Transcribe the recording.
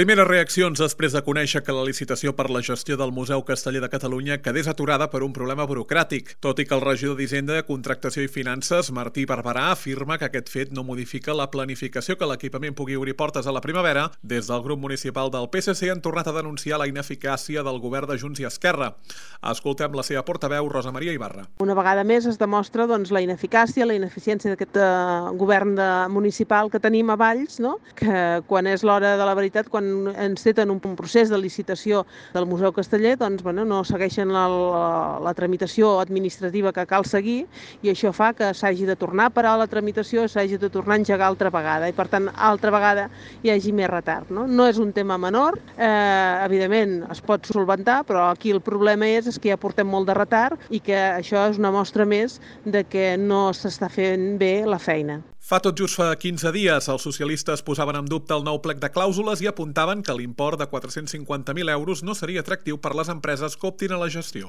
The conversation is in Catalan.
Primeres reaccions després de conèixer que la licitació per la gestió del Museu Casteller de Catalunya quedés aturada per un problema burocràtic. Tot i que el regidor d'Hisenda, Contractació i Finances, Martí Barberà, afirma que aquest fet no modifica la planificació que l'equipament pugui obrir portes a la primavera, des del grup municipal del PSC han tornat a denunciar la ineficàcia del govern de Junts i Esquerra. Escoltem la seva portaveu, Rosa Maria Ibarra. Una vegada més es demostra la ineficàcia, la ineficiència d'aquest govern municipal que tenim a Valls, no? Que quan és l'hora de la veritat, quan enceten un procés de licitació del Museu Casteller, doncs, no segueixen la tramitació administrativa que cal seguir i això fa que s'hagi de tornar a parar la tramitació, s'hagi de tornar a engegar altra vegada i, per tant, altra vegada hi hagi més retard. No és un tema menor, evidentment es pot solventar, però aquí el problema és que ja portem molt de retard i que això és una mostra més de que no s'està fent bé la feina. Tot just fa 15 dies, els socialistes posaven en dubte el nou plec de clàusules i apuntaven que l'import de 450.000 euros no seria atractiu per les empreses que optin a la gestió.